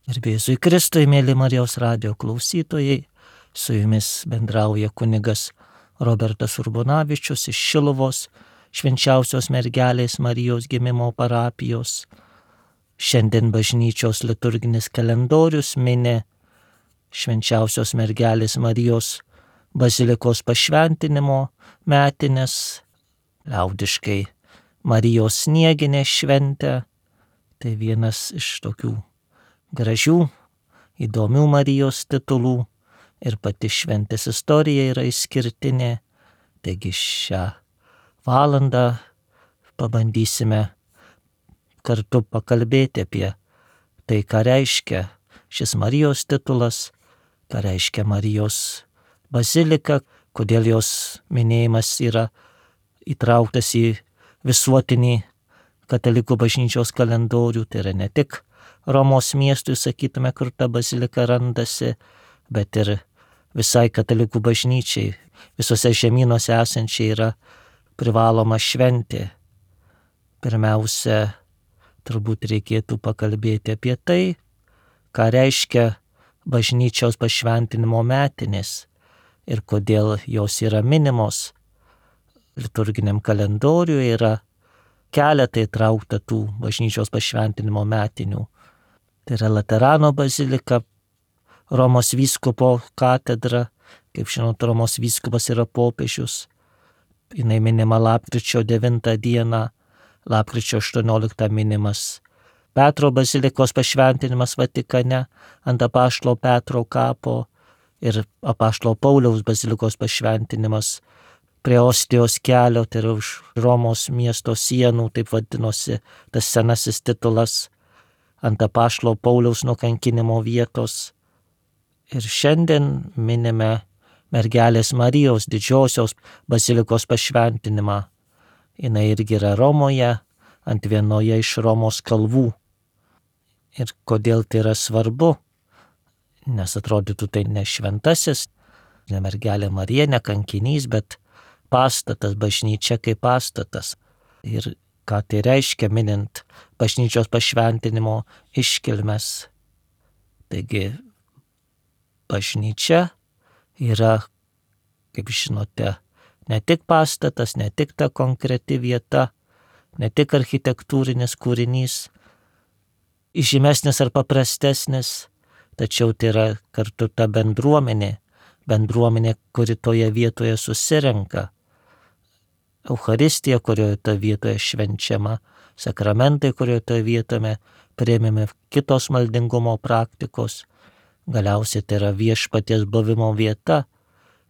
Garbė Jėzui Kristui, mėly Marijos radijo klausytojai, su jumis bendrauja kunigas Robertas Urbonavičius iš Šiluvos Švenčiausios mergelės Marijos gimimo parapijos. Šiandien bažnyčios liturginis kalendorius mini Švenčiausios mergelės Marijos bazilikos pašventinimo metines, liaudiškai Marijos snieginę šventę. Tai vienas iš tokių gražių, įdomių Marijos titulų ir pati šventės istorija yra išskirtinė. Taigi šią valandą pabandysime kartu pakalbėti apie tai, ką reiškia šis Marijos titulas, ką reiškia Marijos bazilika, kodėl jos minėjimas yra įtrauktas į visuotinį katalikų bažnyčios kalendorių. Tai yra ne tik Romos miestui, sakytume, kur ta bazilika randasi, bet ir visai katalikų bažnyčiai, visose žemynuose esančiai yra privaloma šventė. Pirmiausia, turbūt reikėtų pakalbėti apie tai, ką reiškia bažnyčios pašventinimo metinės ir kodėl jos yra minimos. Liturginiam kalendoriuje yra keletai įtraukta tų bažnyčios pašventinimo metinių. Tai yra Laterano bazilika, Romos vyskupo katedra, kaip žinot, Romos vyskupas yra popiežius. Jinai minima lapkričio 9 dieną, lapkričio 18 minimas Petro bazilikos pašventinimas Vatikane ant apaštalo Petro kapo ir apaštalo Pauliaus bazilikos pašventinimas prie Ostijos kelio, tai yra už Romos miesto sienų, taip vadinosi tas senasis titulas, ant apaštalo Pauliaus nukankinimo vietos. Ir šiandien minime mergelės Marijos didžiosios bazilikos pašventinimą. Jinai irgi yra Romoje, ant vienoje iš Romos kalvų. Ir kodėl tai yra svarbu? Nes atrodytų tai ne šventasis, ne mergelė Marija, ne kankinys, bet pastatas, bažnyčia kaip pastatas. Ir ką tai reiškia minint bažnyčios pašventinimo iškilmes. Taigi bažnyčia yra, kaip žinote, ne tik pastatas, ne tik ta konkreti vieta, ne tik architektūrinis kūrinys, žymesnis ar paprastesnis, tačiau tai yra kartu ta bendruomenė, kuri toje vietoje susirenka. Eucharistija, kurioje toje vietoje švenčiama, sakramentai, kurioje toje vietoje priėmėme kitos maldingumo praktikos. Galiausiai tai yra viešpaties buvimo vieta.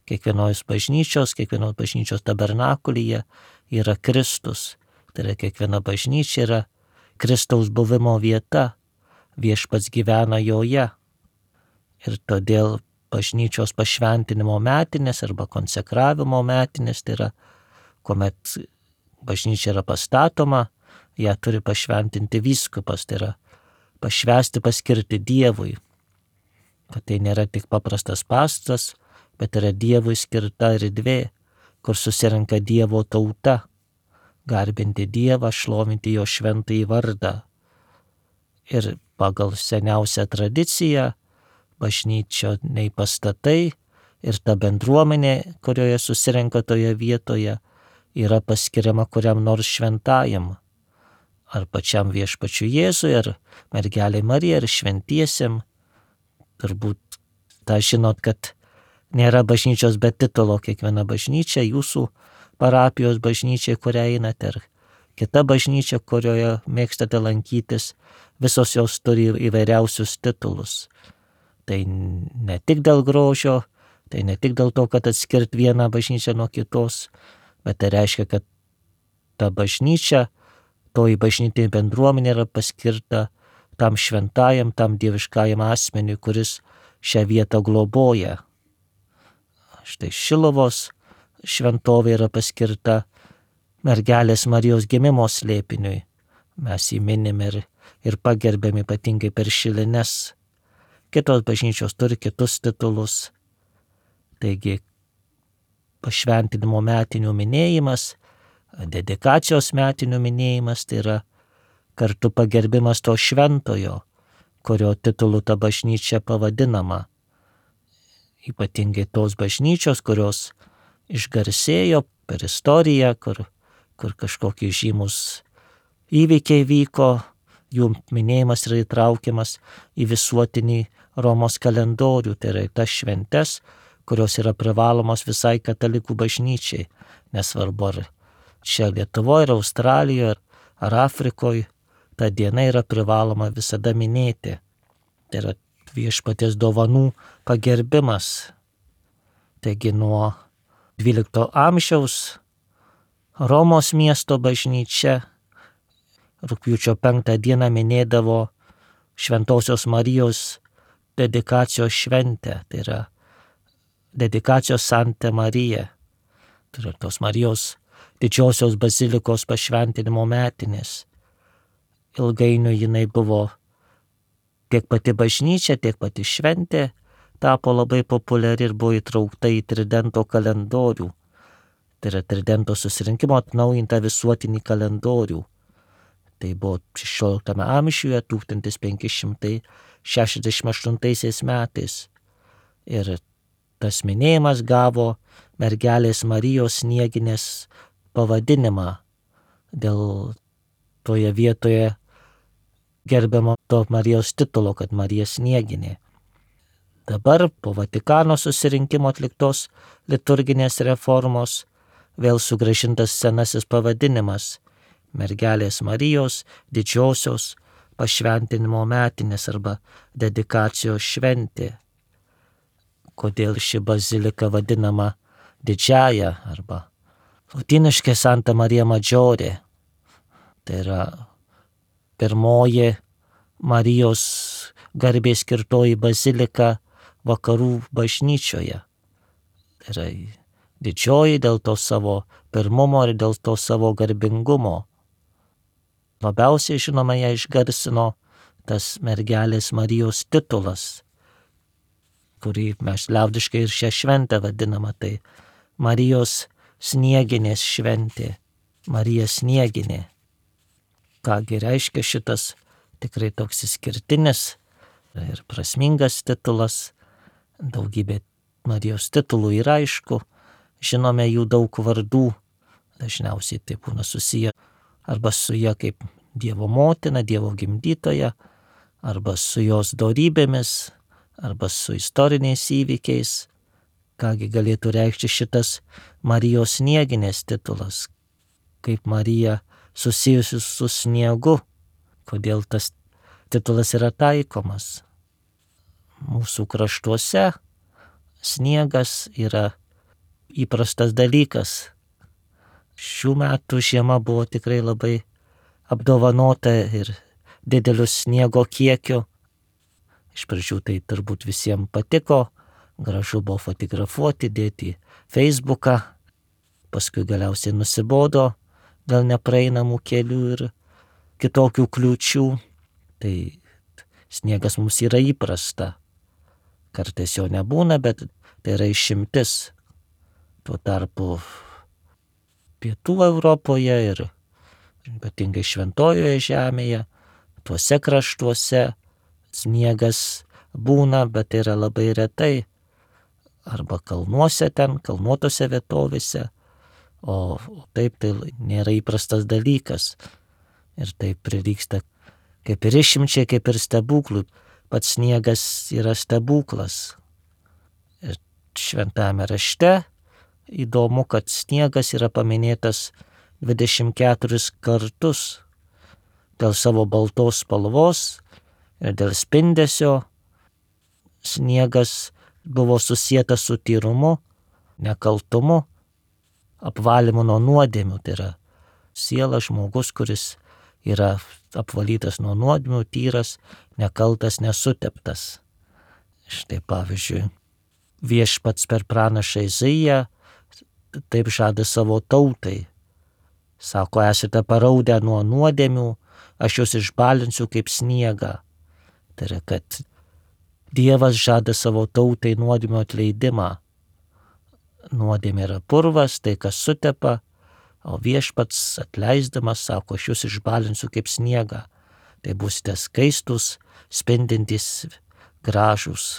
Kiekvienos bažnyčios tabernakulyje yra Kristus. Tai yra kiekviena bažnyčia yra Kristaus buvimo vieta. Viešpats gyvena joje. Ir todėl bažnyčios pašventinimo metinės arba konsekravimo metinės, tai yra kuomet bažnyčia yra pastatoma, ją turi pašventinti vyskupas, tai yra pašvęsti, paskirti Dievui. Kad tai nėra tik paprastas pastatas, bet yra Dievui skirta erdvė, kur susirenka Dievo tauta, garbinti Dievą, šlovinti jo šventąjį vardą. Ir pagal seniausią tradiciją bažnyčioniai pastatai ir ta bendruomenė, kurioje susirenka toje vietoje, yra paskiriama kuriam nors šventajam, ar pačiam viešpačiui Jėzui, ar mergelei Marijai, ar šventiesiem. Turbūt tą žinot, kad nėra bažnyčios be titulo. Kiekviena bažnyčia, jūsų parapijos bažnyčia, kurią einate, ar kita bažnyčia, kurioje mėgstate lankytis, visos jos turi įvairiausius titulus. Tai ne tik dėl grožio, tai ne tik dėl to, kad atskirt vieną bažnyčią nuo kitos, bet tai reiškia, kad ta bažnyčia, toji bažnytinė bendruomenė yra paskirta tam šventajam, tam dieviškajam asmeniui, kuris šią vietą globoja. Štai Šiluvos šventovė yra paskirta mergelės Marijos gimimo slėpiniui. Mes jį minim ir pagerbėm ypatingai per šilines. Kitos bažnyčios turi kitus titulus. Taigi pašventinimo metinių minėjimas, dedikacijos metinių minėjimas, tai yra kartu pagerbimas to šventojo, kurio titulu ta bažnyčia pavadinama. Ypatingai tos bažnyčios, kurios išgarsėjo per istoriją, kur kažkokie žymus įvykiai vyko, jų minėjimas yra įtraukiamas į visuotinį Romos kalendorių, tai yra tas šventes, kurios yra privalomos visai katalikų bažnyčiai, nesvarbu ar čia Lietuvoje, ar Australijoje, ar Afrikoje, ta diena yra privaloma visada minėti. Tai yra viešpaties dovanų pagerbimas. Taigi nuo 12 amžiaus Romos miesto bažnyčia rugpjūčio 5 dieną minėdavo Šventosios Marijos dedikacijos šventę, tai yra dedikacijos Santa Marija, tai yra tos Marijos didžiosios bazilikos pašventinimo metinės. Ilgainiui jinai buvo tiek pati bažnyčia, tiek pati šventė, tapo labai populiari ir buvo įtraukta į Tridento kalendorių. Tai yra Tridento susirinkimo atnaujintą visuotinį kalendorių. Tai buvo 16 amžiuje, 1568 metais. Ir tas minėjimas gavo mergelės Marijos Snieginės pavadinimą dėl toje vietoje gerbiamo to Marijos titulo, kad Marija Snieginė. Dabar po Vatikano susirinkimo atliktos liturginės reformos vėl sugrąžintas senasis pavadinimas mergelės Marijos didžiosios pašventinimo metinės arba dedikacijos šventė. Kodėl ši bazilika vadinama didžiąja arba lotyniškai Santa Marija Maggiore. Tai yra pirmoji Marijos garbei skirtoji bazilika vakarų bažnyčioje. Tai yra didžioji dėl to savo pirmumo ir dėl to savo garbingumo. Labiausiai žinoma ją išgarsino tas mergelės Marijos titulas, kurį mes liaudiškai ir šią šventę vadinama, tai Marijos Snieginės šventė, Marija Snieginė. Kągi reiškia šitas tikrai toks išskirtinis ir prasmingas titulas, daugybė Marijos titulų yra aišku, žinome jų daug vardų, dažniausiai tai būna susiję arba su ja kaip Dievo motina, Dievo gimdytoja, arba su jos dorybėmis, arba su istoriniais įvykiais. Kągi galėtų reikšti šitas Marijos Snieginės titulas, kaip Marija susijusi su sniegu, kodėl tas titulas yra taikomas. Mūsų kraštuose sniegas yra įprastas dalykas. Šių metų žiema buvo tikrai labai apdovanota ir dideliu sniego kiekiu. Iš pradžių tai turbūt visiems patiko, gražu buvo fotografuoti, dėti į Facebooką, paskui galiausiai nusibodo dėl nepraeinamų kelių ir kitokių kliūčių. Tai sniegas mums yra įprasta. Kartais jo nebūna, bet tai yra išimtis. Tuo tarpu Pietų Europoje ir ypatingai Šventojoje žemėje, tuose kraštuose sniegas būna, bet tai yra labai retai. Arba kalnuose ten, kalnuotose vietovėse, o taip tai nėra įprastas dalykas. Ir taip prilygsta kaip ir išimčiai, kaip ir stebuklų. Pats sniegas yra stebuklas. Ir šventame rašte įdomu, kad sniegas yra paminėtas 24 kartus dėl savo baltos spalvos ir dėl spindesio. Sniegas buvo susietas su tyrumu, nekaltumu, apvalymu nuo nuodėmių. Tai yra siela, žmogus, kuris yra apvalytas nuo nuodėmių, tyras, nekaltas, nesuteptas. Štai pavyzdžiui, viešpats per pranašą Izaiją taip žada savo tautai. Sako, esate paraudę nuo nuodėmių, aš jūs išbalinsiu kaip sniegą. Tai yra, kad Dievas žada savo tautai nuodėmių atleidimą. Nuodėmė yra purvas, tai kas sutepa, o viešpats atleisdamas sako, aš jūs išbalinsiu kaip sniegą. Tai būsite skaistus, spindintys, gražūs.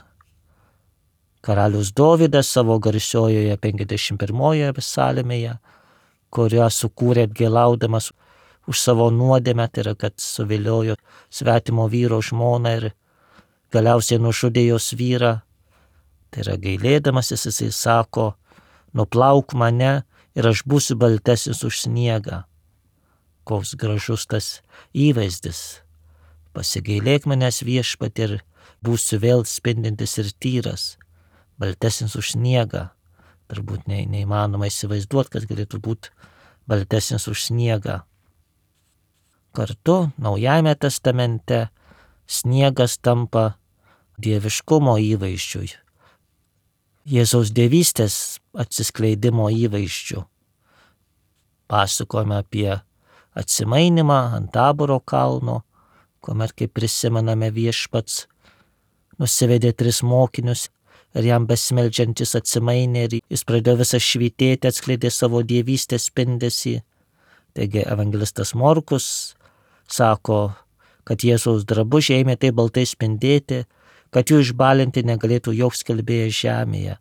Karalius Dovydas savo garsiojoje 51 psalmėje, kurią sukūrė atgailaudamas už savo nuodėmę, tai yra, kad suviliojo svetimo vyro žmoną ir galiausiai nužudė jos vyrą. Tai yra, gailėdamasis jisai sako, nuplauk mane ir aš būsiu baltesnis už sniegą. Koks gražus tas įvaizdis. Pasigailėk manęs viešpatie ir būsiu vėl spindintis ir tyras, baltesnis už sniegą. Turbūt neįmanoma įsivaizduoti, kad galėtų būti baltesnis už sniegą. Kartu Naujajame testamente sniegas tampa dieviškumo įvaizdžiui, Jėzaus dievystės atsiskleidimo įvaizdžiu. Pasakojame apie atsimainimą ant Taboro kalno, kuomet, kaip prisimename, viešpats nusivedė 3 mokinius ir jam besimeldžiantis atsimainė ir jis pradėjo visą švytėti, atskleidė savo dievystės spindesį. Taigi evangelistas Morkus sako, kad Jėzaus drabužiai ėmė taip baltai spindėti, kad jų išbalinti negalėtų joks skelbėjas žemėje.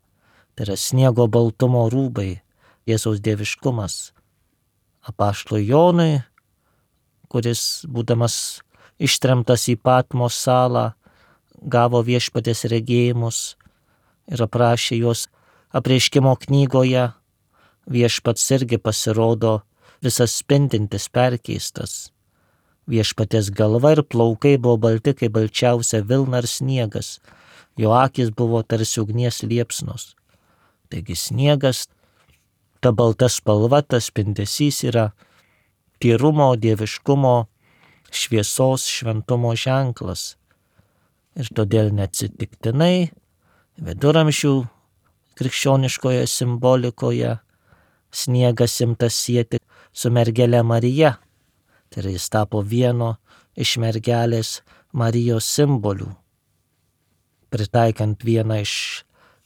Tai yra sniego baltumo rūbai, Jėzaus dieviškumas. Apaštalui Jonui, kuris būdamas ištremtas į Patmos salą, gavo viešpaties regėjimus ir aprašė juos apreiškimo knygoje, viešpats irgi pasirodo visas spindintis, perkeistas. Viešpaties galva ir plaukai buvo balti kaip balčiausia vilna ir sniegas, jo akys buvo tarsi ugnies liepsnos. Taigi sniegas, ta balta spalva, tas spindesys yra tyrumo, dieviškumo, šviesos, šventumo ženklas. Ir todėl neatsitiktinai viduramžių krikščioniškoje simbolikoje sniegas imtas sieti su mergele Marija. Tai yra, jis tapo vieno iš mergelės Marijos simbolių. Pritaikant vieną iš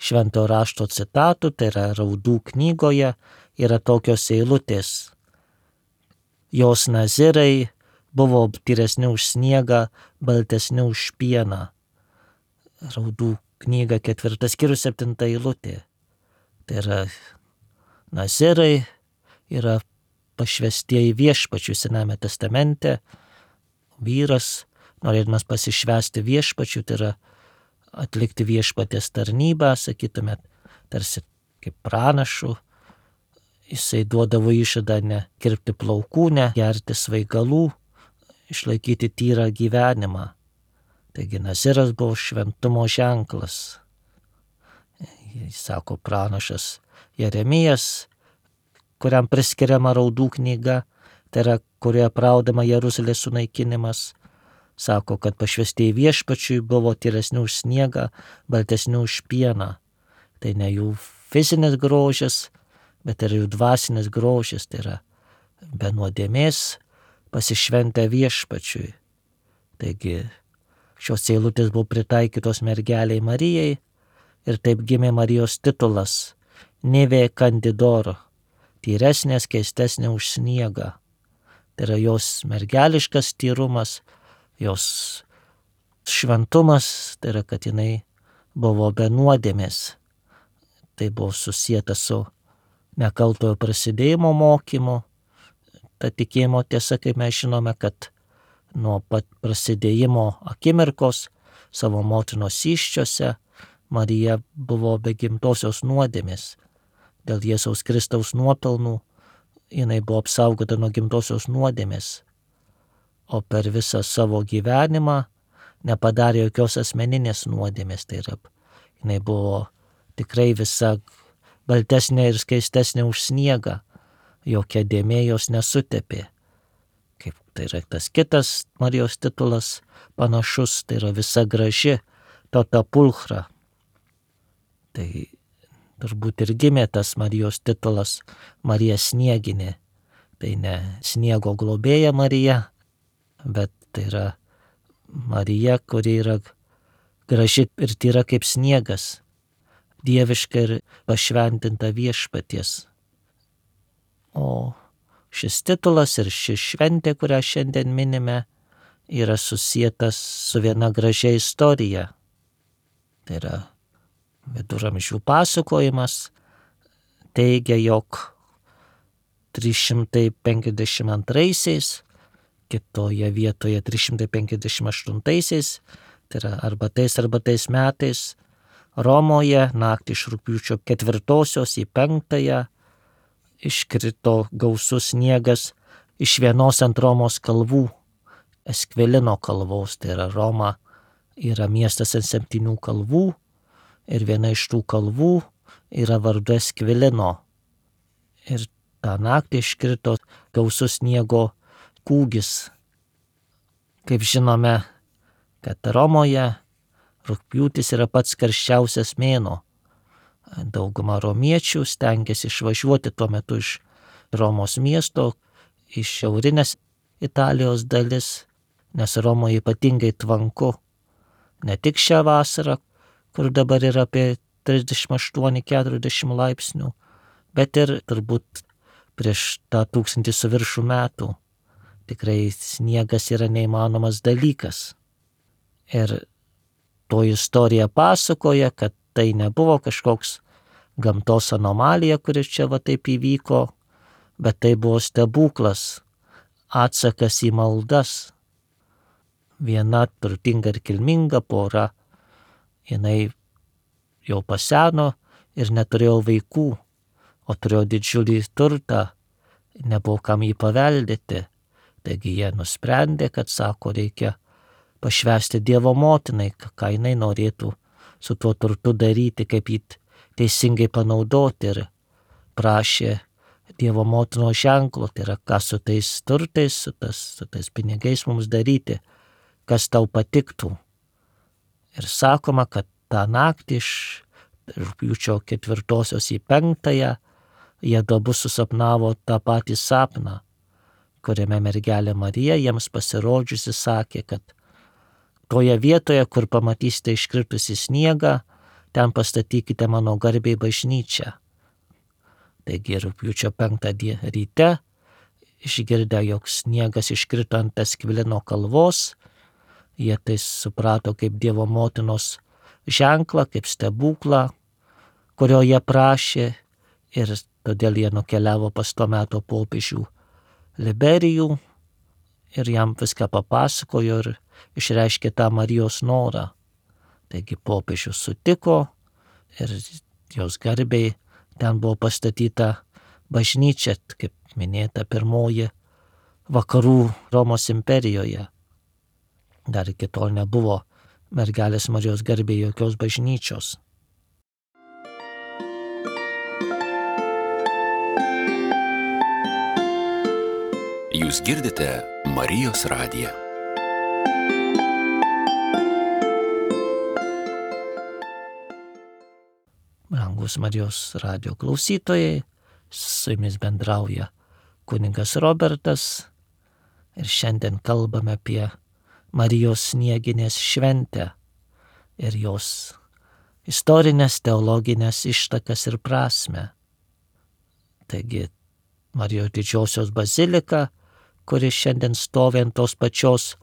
šventojo rašto citatų, tai yra Raudų knygoje, yra tokios eilutės. Jos nazirai buvo tyresni už sniegą, baltesni už pieną. Raudų knyga 4 skyrius 7 eilutė. Tai yra, nazirai yra pašvestieji viešpačių Sename testamente. Vyras, norėdamas pasišvesti viešpačių, tai yra atlikti viešpatės tarnybą, sakytumėt, tarsi kaip pranašų. Jisai duodavo išžadą nekirpti plaukų, negerti svaigalų, išlaikyti tyrą gyvenimą. Taigi naziras buvo šventumo ženklas. Jis sako pranašas Jeremijas, kuriam priskiriama Raudų knyga, tai yra, kurioje apraudama Jeruzalės sunaikinimas, sako, kad pašvestieji viešpačiui buvo tyresni už sniegą, baltesni už pieną. Tai ne jų fizinis grožis, bet ir jų dvasinis grožis, tai yra be nuodėmės pasišventę viešpačiui. Taigi šios eilutės buvo pritaikytos mergeliai Marijai ir taip gimė Marijos titulas Nivė Kandidoro, tyresnė, keistesnė už sniegą. Tai yra jos mergeliškas tyrumas, jos šventumas, tai yra, kad jinai buvo be nuodėmės. Tai buvo susijęta su nekaltojo prasidėjimo mokymu. Ta tikėjimo tiesa, kaip mes žinome, kad nuo pat prasidėjimo akimirkos savo motinos įsčiose Marija buvo be gimtosios nuodėmės. Dėl Jėzaus Kristaus nuopelnų jinai buvo apsaugota nuo gimtosios nuodėmės, o per visą savo gyvenimą nepadarė jokios asmeninės nuodėmės. Tai yra, jinai buvo tikrai visa baltesnė ir skaistesnė už sniegą, jokia dėmė jos nesutepė. Kaip tai yra tas kitas Marijos titulas panašus, tai yra visa graži, tota pulchra. Tai turbūt ir gimė tas Marijos titulas Marija Snieginė. Tai ne sniego globėja Marija, bet tai yra Marija, kuri yra graži ir tyra kaip sniegas, dieviška ir pašventinta viešpaties. O šis titulas ir ši šventė, kurią šiandien minime, yra susietas su viena gražia istorija. Tai yra viduramžių pasakojimas, teigia, jog 352, kitoje vietoje 358, tai yra arba tais metais, Romoje naktį iš rugpjūčio 4 į 5 iškrito gausus sniegas iš vienos ant Romos kalvų, Eskvilino kalvos. Tai yra Roma yra miestas ant 7 kalvų ir viena iš tų kalvų yra vardu Eskvilino. Ir tą naktį iškrito gausus sniego kūgis. Kaip žinome, kad Romoje rugpjūtis yra pats karščiausias mėnuo. Dauguma romiečių stengiasi išvažiuoti tuo metu iš Romos miesto, iš šiaurinės Italijos dalis, nes Romoje ypatingai tvanku. Ne tik šią vasarą, kur dabar yra apie 38-40 laipsnių, bet ir turbūt prieš tą 1000 su viršų metų. Tikrai sniegas yra neįmanomas dalykas. Ir to istorija pasakoja, kad tai nebuvo kažkoks gamtos anomalija, kuris čia va taip įvyko, bet tai buvo stebuklas, atsakas į maldas. Viena turtinga ir kilminga pora, jinai jau paseno ir neturėjo vaikų, o turėjo didžiulį turtą, nebuvo kam jį paveldėti. Taigi jie nusprendė, kad, sako, reikia pašvęsti Dievo motinai, ką jinai norėtų su tuo turtu daryti, kaip jį teisingai panaudoti, ir prašė Dievo motinos ženklo, tai yra, ką su tais turtais, su tais pinigais mums daryti, kas tau patiktų. Ir sakoma, kad tą naktį iš rugpjūčio 4 į 5 jie abu susapnavo tą patį sapną, kuriame mergelė Marija jiems pasirodžiusi sakė, kad toje vietoje, kur pamatysite iškritusi sniegą, ten pastatykite mano garbei bažnyčią. Taigi rugpjūčio 5 ryte, išgirdę, jog sniegas iškrito ant Eskvilino kalvos, jie tai suprato kaip Dievo motinos ženklą, kaip stebuklą, kurio jie prašė, ir todėl jie nukeliavo pas tuo meto popiežių Liberijų ir jam viską papasakojo ir išreiškė tą Marijos norą. Taigi popiežius sutiko ir jos garbei ten buvo pastatyta bažnyčia, kaip minėta, pirmoji vakarų Romos imperijoje. Dar iki tol nebuvo mergelės Marijos garbei jokios bažnyčios. Jūs girdite Marijos radiją. Brangus Marijos radijo klausytojai, su jumis bendrauja kunigas Robertas ir šiandien kalbame apie Marijos snieginės šventę ir jos istorinės, teologinės ištakas ir prasmę. Taigi Marijos didžiosios bazilika, kuri šiandien stovi ant tos pačios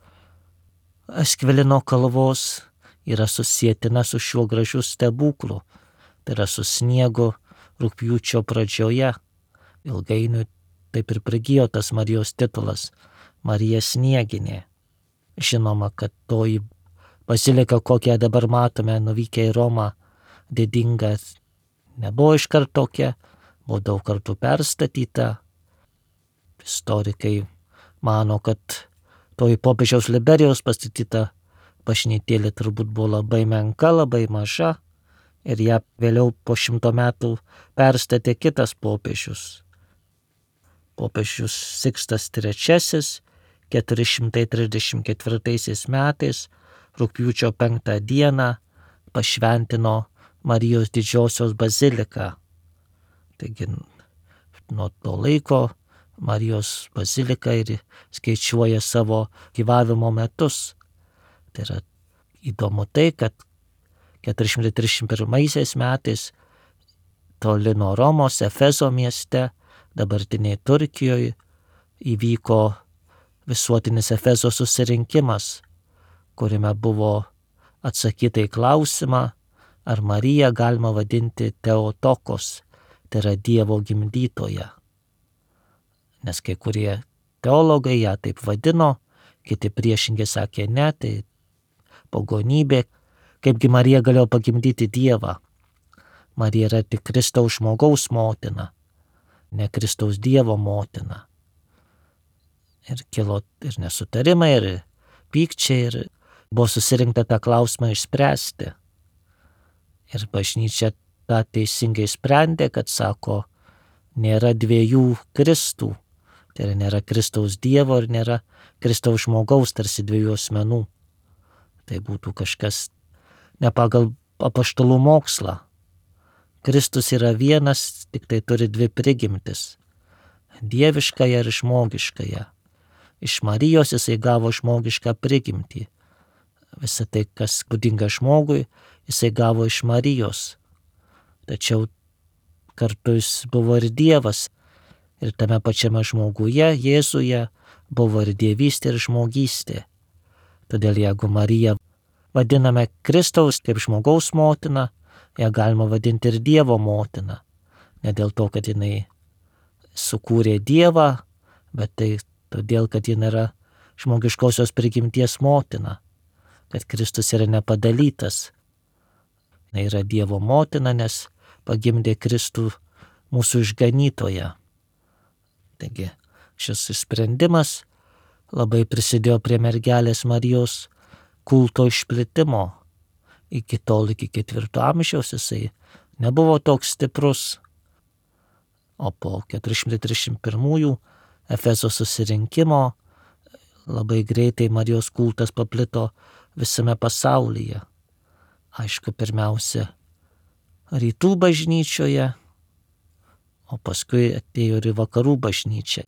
Eskvilino kalvos, yra susietina su šiuo gražiu stebuklu. Tai yra su sniegu rugpjūčio pradžioje. Ilgainiui taip ir prigijo tas Marijos titulas – Marija Snieginė. Žinoma, kad toji bazilika, kokią dabar matome nuvykę į Romą, didinga, nebuvo iškart tokia, buvo daug kartų perstatyta. Istorikai mano, kad toji popiežiaus Liberijos pastatyta bažnytėlė turbūt buvo labai menka, labai maža, ir ją vėliau po 100 metų perstatė kitas popiežius. Popiežius Sikstas III 434 metais rugpjūčio 5 dieną pašventino Marijos didžiosios baziliką. Taigi nuo to laiko Marijos bazilika ir skaičiuoja savo gyvavimo metus. Tai yra įdomu tai, kad 431 metais toli nuo Romos, Efezo mieste, dabartiniai Turkijoje, įvyko visuotinis Efezo susirinkimas, kuriame buvo atsakyta į klausimą, ar Mariją galima vadinti Teotokos, tai yra Dievo gimdytoja. Nes kai kurie teologai ją taip vadino, kiti priešingai sakė ne, tai pagonybė, kaipgi Marija galėjo pagimdyti Dievą. Marija yra tik Kristaus žmogaus motina, ne Kristaus Dievo motina. Ir kilo ir nesutarimai, ir pykčiai, ir buvo susirinkta tą klausimą išspręsti. Ir bažnyčia tą teisingai sprendė, kad sako, nėra dviejų Kristų. Tai yra nėra Kristaus Dievo ir nėra Kristaus žmogaus, tarsi dviejų asmenų. Tai būtų kažkas ne pagal apaštalų mokslą. Kristus yra vienas, tik tai turi dvi prigimtis. Dieviškąją ir žmogiškąją. Iš Marijos jisai gavo žmogišką prigimtį. Visą tai, kas būdinga žmogui, jisai gavo iš Marijos. Tačiau kartu jis buvo ir Dievas. Ir tame pačiame žmoguje, Jėzuje, buvo ir dievystė ir žmogystė. Todėl jeigu Mariją vadiname Kristaus kaip žmogaus motina, ją galima vadinti ir Dievo motina. Ne dėl to, kad jinai sukūrė Dievą, bet tai todėl, kad jinai yra žmogiškosios prigimties motina. Kad Kristus yra nepadalytas. Jinai yra Dievo motina, nes pagimdė Kristų mūsų išganytoją. Taigi šis sprendimas labai prisidėjo prie mergelės Marijos kulto išplitimo. Iki tol, iki 4 amžiaus jisai nebuvo toks stiprus. O po 431 Efezo susirinkimo labai greitai Marijos kultas paplito visame pasaulyje. Aišku, pirmiausia, rytų bažnyčioje, o paskui atėjo ir į vakarų bažnyčią.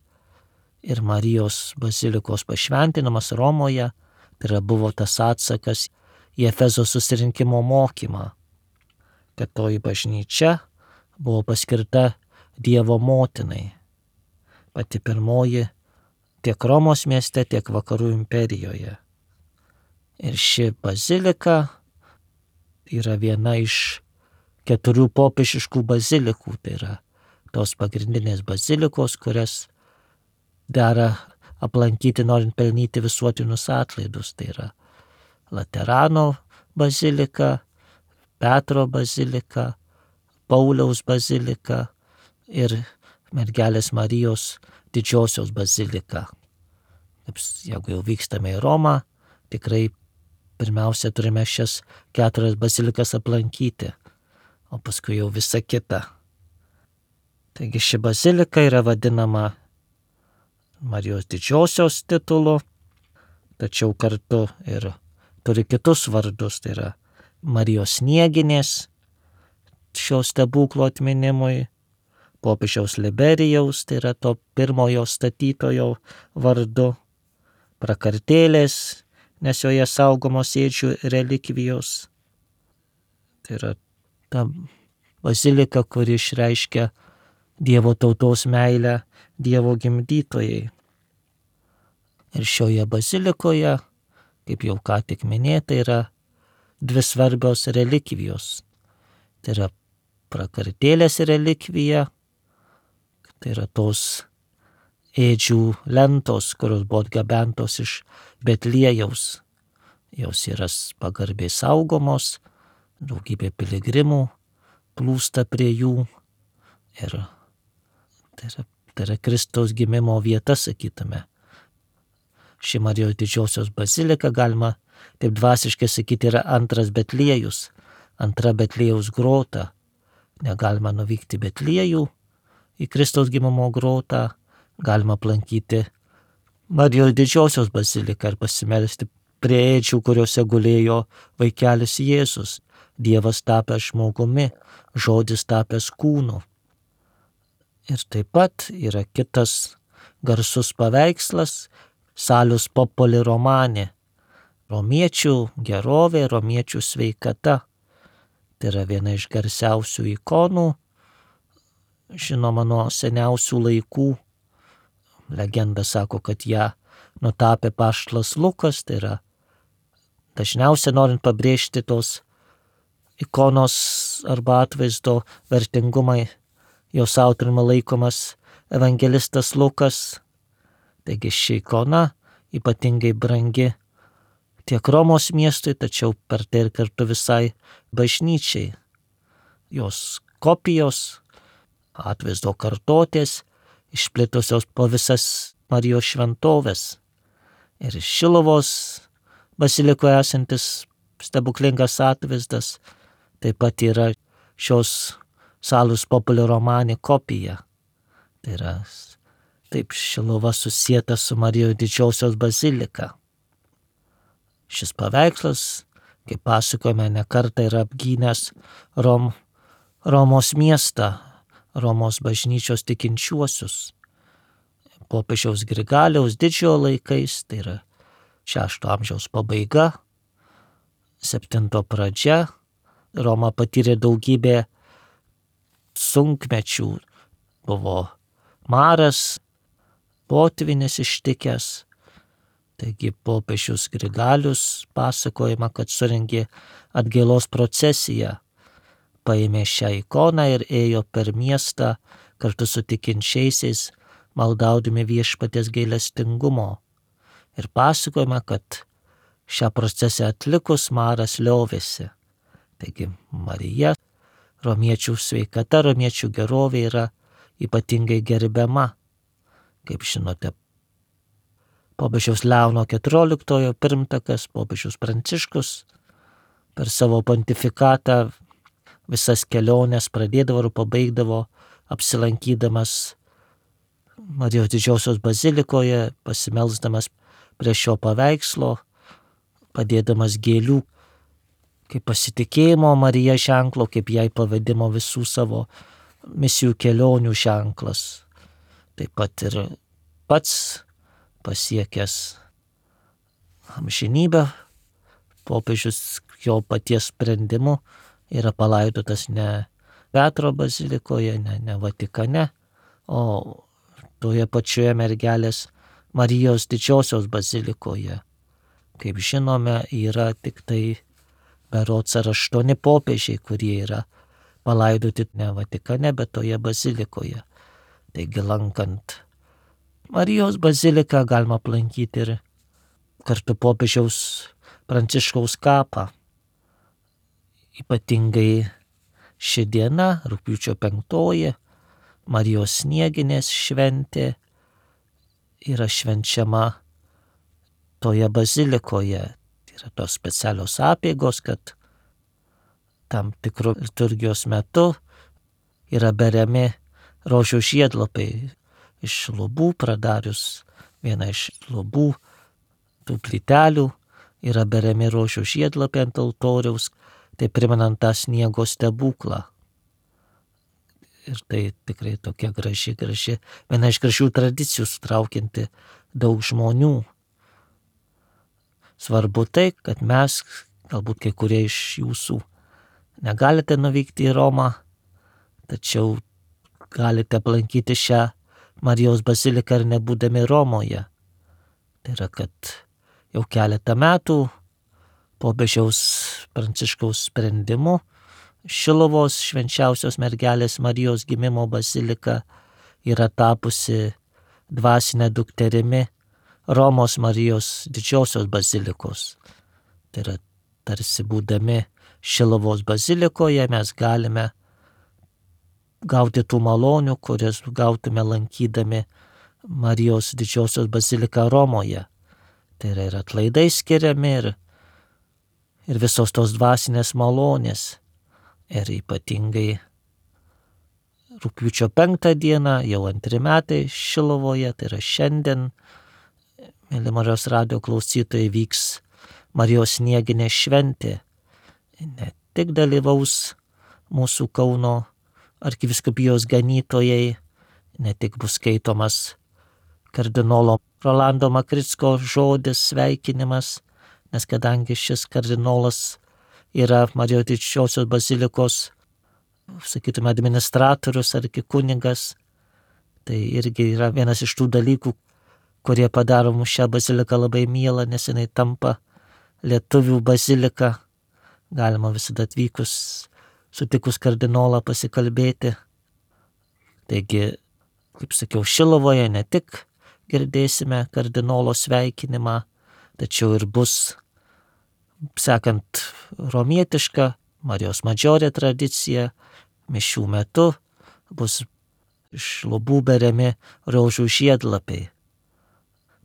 Ir Marijos bazilikos pašventinimas Romoje, tai yra buvo tas atsakas į Efezo susirinkimo mokymą, kad toji bažnyčia buvo paskirta Dievo motinai. Pati pirmoji tiek Romos mieste, tiek vakarų imperijoje. Ir ši bazilika yra viena iš 4 popiežiškų bazilikų, tai yra tos pagrindinės bazilikos, kurias dera aplankyti, norint pelnyti visuotinius atlaidus. Tai yra Laterano bazilika, Petro bazilika, Pauliaus bazilika ir mergelės Marijos didžiosios bazilika. Jeigu jau vykstame į Romą, tikrai pirmiausia turime šias 4 bazilikas aplankyti, o paskui jau visa kita. Taigi ši bazilika yra vadinama Marijos didžiosios titulu, tačiau kartu ir turi kitus vardus, tai yra Marijos Snieginės šio stebuklo atminimui, popiežiaus Liberijaus, tai yra to pirmojo statytojo vardu, Prakartėlės, nes joje saugomos ėdžių relikvijos. Tai yra ta bazilika, kuri išreiškia Dievo tautos meilę Dievo gimdytojai. Ir šioje bazilikoje, kaip jau ką tik minėta, yra 2 svarbios relikvijos. Tai yra Prakartėlės relikvija, tai yra tos ėdžių lentos, kurios buvo atgabentos iš Betliejaus. Jos yra pagarbiai saugomos, daugybė piligrimų plūsta prie jų. Ir tai yra Kristaus gimimo vieta, sakytume. Ši Marijos didžiosios bazilika, galima taip dvasiškai sakyti, yra antras Betliejus, antra Betliejaus grota. Negalima nuvykti į Betliejų, į Kristaus gimimo grotą, galima aplankyti Marijos didžiosios baziliką ir pasimelsti prie ėdžių, kuriuose gulėjo vaikelis Jėzus, Dievas tapęs žmogumi, žodis tapęs kūnu. Ir taip pat yra kitas garsus paveikslas Salus Populi Romani, romiečių gerovė, romiečių sveikata. Tai yra viena iš garsiausių ikonų, žinoma nuo seniausių laikų. Legenda sako, kad ją nutapė apaštalas Lukas, tai yra dažniausiai norint pabrėžti tos ikonos arba atvaizdo vertingumą, jos autoriumi laikomas evangelistas Lukas. Taigi ši ikona ypatingai brangi tiek Romos miestui, tačiau per tai ir kartu visai bažnyčiai. Jos kopijos, atvaizdo kartotės išplitusios po visas Marijos šventovės. Ir Šiluvos bazilikoje esantis stebuklingas atvaizdas taip pat yra šios Salus Populi Romani kopija. Tai yra taip Šiluva susieta su Marijos didžiosios bazilika. Šis paveikslas, kaip pasakojame, ne kartą yra apgynęs Romos miestą, Romos bažnyčios tikinčiuosius. Popiežiaus Grigaliaus didžiojo laikais, tai yra 6 amžiaus pabaiga, 7 pradžia, Roma patyrė daugybę sunkmečių, buvo maras, potvynis ištikęs. Taigi popiežius Grigalius pasakojama, kad surengė atgailos procesiją, paėmė šią ikoną ir ėjo per miestą kartu su tikinčiaisiais, maldaudami viešpaties gailestingumo. Ir pasakojama, kad šią procesiją atlikus maras liovėsi. Taigi Marija, romiečių sveikata, romiečių gerovė yra ypatingai gerbiama. Kaip žinote, popiežiaus Leono XIV pirmtakas, popiežius Pranciškus, per savo pontifikatą visas keliones pradėdavo ir pabaigdavo apsilankydamas Marijos didžiosios bazilikoje, pasimelsdamas prie šio paveikslo, padėdamas gėlių kaip pasitikėjimo Marija ženklo, kaip jai pavadimo visų savo misijų kelionių ženklas. Taip pat ir pats pasiekęs amžinybę, popiežius jo paties sprendimu yra palaidotas ne Petro bazilikoje, ne Vatikane, o toje pačioje mergelės Marijos didžiosios bazilikoje. Kaip žinome, yra tik tai berods 8 popiežiai, kurie yra palaidoti ne Vatikane, bet toje bazilikoje. Taigi lankant Marijos baziliką galima aplankyti ir kartu popiežiaus Pranciškaus kapą. Ypatingai ši diena, rugpjūčio 5, Marijos Snieginės šventė, yra švenčiama toje bazilikoje. Tai yra tos specialios apeigos, kad tam tikru liturgijos metu yra beriami rožių žiedlapiai iš lubų, pradarius vieną iš lubų, tų plytelių, yra beriami rožių žiedlapiai ant altoriaus, tai primenant tą sniego stebuklą. Ir tai tikrai tokia graži, viena iš gražių tradicijų, sutraukianti daug žmonių. Svarbu tai, kad mes, galbūt kai kurie iš jūsų, negalite nuvykti į Romą, tačiau galite aplankyti šią Marijos baziliką ir nebūdami Romoje. Tai yra, kad jau keletą metų popiežiaus Pranciškaus sprendimu Šiluvos švenčiausios mergelės Marijos gimimo bazilika yra tapusi dvasinė dukterimi Romos Marijos didžiosios bazilikos. Tai yra, tarsi būdami Šiluvos bazilikoje mes galime gauti tų malonių, kurias gautume lankydami Marijos didžiosios baziliką Romoje. Tai yra ir atlaidai skiriami, ir visos tos dvasinės malonės. Ir ypatingai rugpjūčio 5 dieną, jau 2 metai Šiluvoje, tai yra šiandien, mėly Marijos radijo klausytojai, vyks Marijos Snieginė šventė. Ne tik dalyvaus mūsų Kauno arkivyskupijos ganytojai, ne tik bus skaitomas kardinolo Rolando Makricko žodis, sveikinimas, nes kadangi šis kardinolas yra Marijos didžiosios bazilikos, sakytume, administratorius ar kunigas, tai irgi yra vienas iš tų dalykų, kurie padaro mums šią baziliką labai mielą, nes jinai tampa lietuvių bazilika. Galima visada atvykus, sutikus kardinolą pasikalbėti. Taigi, kaip sakiau, Šilovoje ne tik girdėsime kardinolo sveikinimą, tačiau ir bus, sekant romietišką Marijos Madžiorė tradicija, mišių metu bus iš lubų beriami rožių žiedlapiai.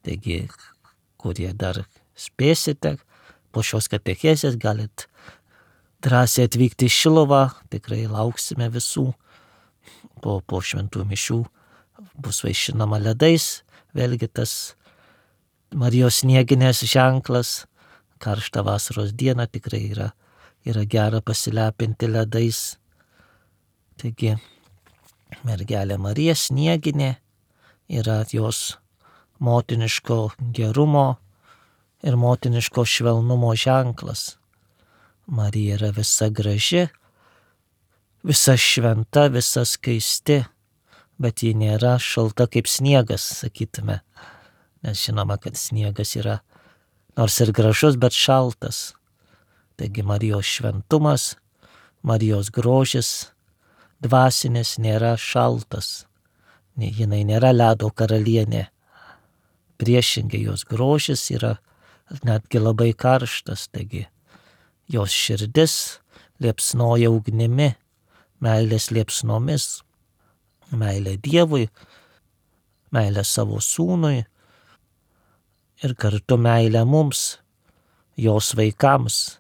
Taigi, kurie dar spėsite, po šios katechezės galit drąsiai atvykti į Šiluvą, tikrai lauksime visų. Po šventų mišių bus vaišinama ledais, vėlgi tas Marijos snieginės ženklas, karštą vasaros dieną tikrai yra gera pasilepinti ledais. Taigi, mergelė Marija snieginė yra jos motiniško gerumo ir motiniško švelnumo ženklas. Marija yra visa graži, visa šventa, visa skaisti, bet ji nėra šalta kaip sniegas, sakytume. Nes žinoma, kad sniegas yra nors ir gražus, bet šaltas. Taigi Marijos šventumas, Marijos grožis, dvasinis nėra šaltas. Jinai nėra ledo karalienė. Priešingai jos grožis yra netgi labai karštas. Taigi jos širdis liepsnoja ugnimi, meilės liepsnomis, meilė Dievui, meilė savo sūnui ir kartu meilė mums, jos vaikams.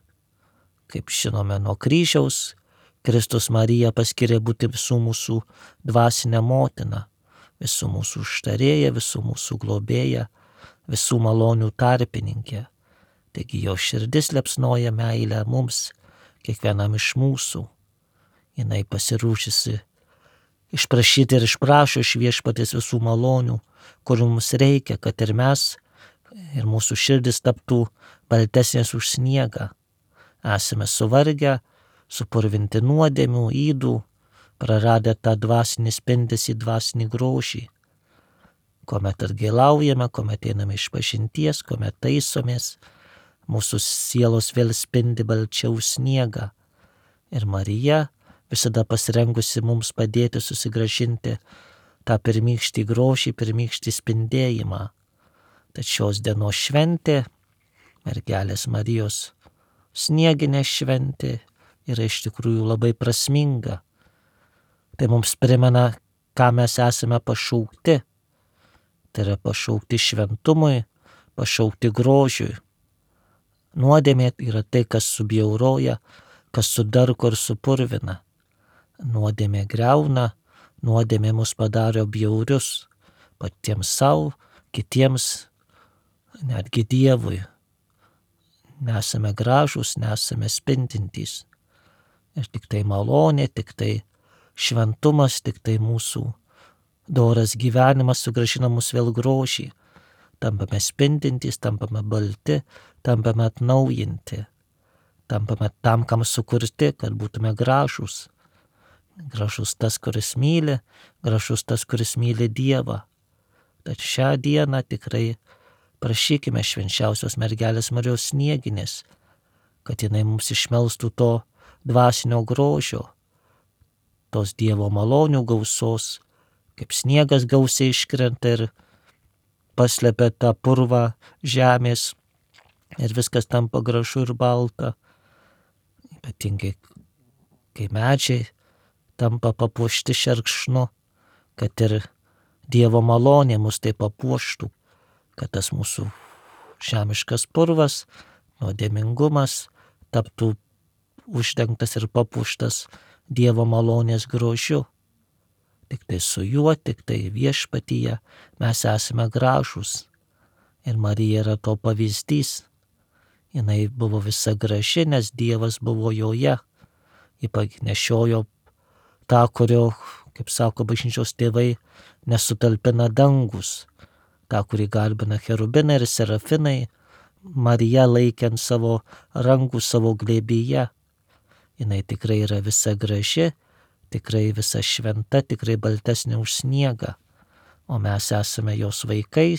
Kaip žinome nuo kryžiaus, Kristus Mariją paskiria būti visų mūsų dvasinę motiną, visų mūsų užtarėja, visų mūsų globėja, visų malonių tarpininkė. Taigi jo širdis liepsnoja meilę mums, kiekvienam iš mūsų. Jinai pasirūšusi išprašyti ir išprašo iš Viešpaties visų malonių, kurių mums reikia, kad ir mes, ir mūsų širdis taptų baltesnės už sniegą. Esame suvargę, supurvinti nuodėmių, ydų, praradę tą dvasinį spindesį, dvasinį grožį. Kuomet atgailaujame, kuomet einame iš pažinties, kuomet taisomės, mūsų sielos vėl spindi balčiau sniegą. Ir Marija visada pasirengusi mums padėti susigrąžinti tą pirmykštį grožį, pirmykštį spindėjimą. Tad šios dienos šventė, mergelės Marijos snieginė šventė, yra iš tikrųjų labai prasminga. Tai mums primena, ką mes esame pašaukti. Tai yra pašaukti šventumui, pašaukti grožiui. Nuodėmė yra tai, kas subjauroja, kas sudarko ir supurvina. Nuodėmė griauna, nuodėmė mus padaro bjaurius patiems savo, kitiems, netgi Dievui. Nesame gražūs, nesame spindintys. Ir tik tai malonė, tik tai šventumas, tik tai mūsų doras gyvenimas sugrąžina mus vėl grožį. Tampame spindintys, tampame balti, tampame atnaujinti. Tampame tam, kam sukurti, kad būtume gražūs. Gražus tas, kuris myli, gražus tas, kuris myli Dievą. Tad šią dieną tikrai prašykime švenčiausios mergelės Marijos snieginės, kad jinai mums išmelstų to dvasinio grožio, tos Dievo malonių gausos, kaip sniegas gausiai iškrenta ir paslepia tą purvą žemės ir viskas tampa gražu ir balta. Ypatingai, kai medžiai tampa papuošti šerkšnu, kad ir Dievo malonė mus tai papuoštų, kad tas mūsų žemiškas purvas, nuodėmingumas taptų uždengtas ir papuoštas Dievo malonės grožiu. Tik tai su juo, tik tai viešpatyje mes esame gražūs. Ir Marija yra to pavyzdys. Jinai buvo visa graži, nes Dievas buvo joje. Ji nešiojo tą, kurio, kaip sako bažnyčios tėvai, nesutalpina dangus. Ta, kurį garbina cherubinai ir serafinai, Marija laikė ant savo rankų, savo glėbyje. Jinai tikrai yra visa graži, tikrai visa šventa, tikrai baltesnė už sniegą. O mes esame jos vaikai,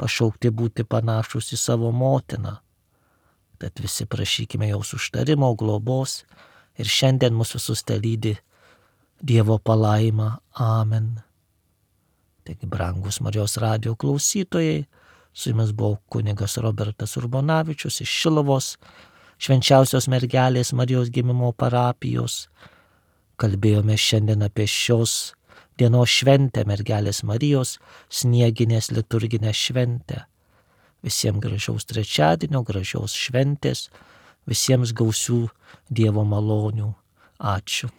pašaukti būti panašus į savo motiną. Tad visi prašykime jos užtarimo, globos ir šiandien mūsų visus lydi Dievo palaima. Amen. Taigi, brangus Marijos radijo klausytojai, su jumis buvo kunigas Robertas Urbonavičius iš Šiluvos Švenčiausios mergelės Marijos gimimo parapijos. Kalbėjome šiandien apie šios dienos šventę, mergelės Marijos snieginės liturginę šventę. Visiems gražaus trečiadienio, gražios šventės, visiems gausių Dievo malonių. Ačiū.